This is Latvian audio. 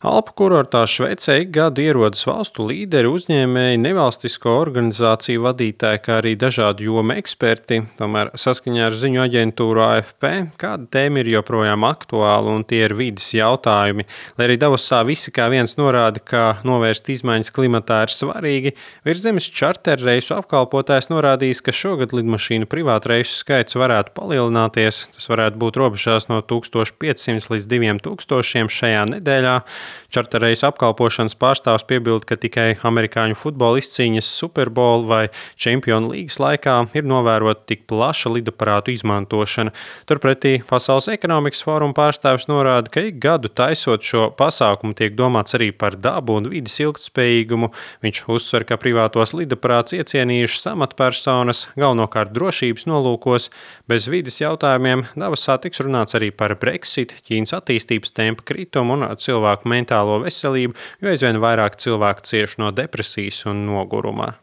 Alpu kurortā Šveicē ik gadu ierodas valstu līderi, uzņēmēji, nevalstisko organizāciju vadītāji, kā arī dažādu jomu eksperti. Tomēr saskaņā ar ziņu aģentūru AFP kāda tēma ir joprojām aktuāla, un tie ir vides jautājumi. Lai arī Davosā visi kā viens norāda, ka novērst izmaiņas klimatā ir svarīgi, Virszemes čarterreisu apkalpotājs norādījis, ka šogad lidmašīnu privātreisu skaits varētu palielināties. Tas varētu būt robežās no 1500 līdz 2000 šajā nedēļā. Čarterreisu apkalpošanas pārstāvs piebilda, ka tikai amerikāņu futbola izcīņas Super Bowl vai Čempionu līgas laikā ir novērota tik plaša lidaparātu izmantošana. Turpretī Pasaules ekonomikas fóruma pārstāvis norāda, ka ik gadu taisot šo pasākumu tiek domāts arī par dabu un vides ilgtspējīgumu. Viņš uzsver, ka privātos lidaparātus iecienījušas amatpersonas galvenokārt drošības nolūkos. Bez vides jautājumiem Davosā tiks runāts arī par Brexit, Ķīnas attīstības tempa kritumu un cilvēku mentālo veselību, jo aizvien vairāk cilvēku cieš no depresijas un noguruma.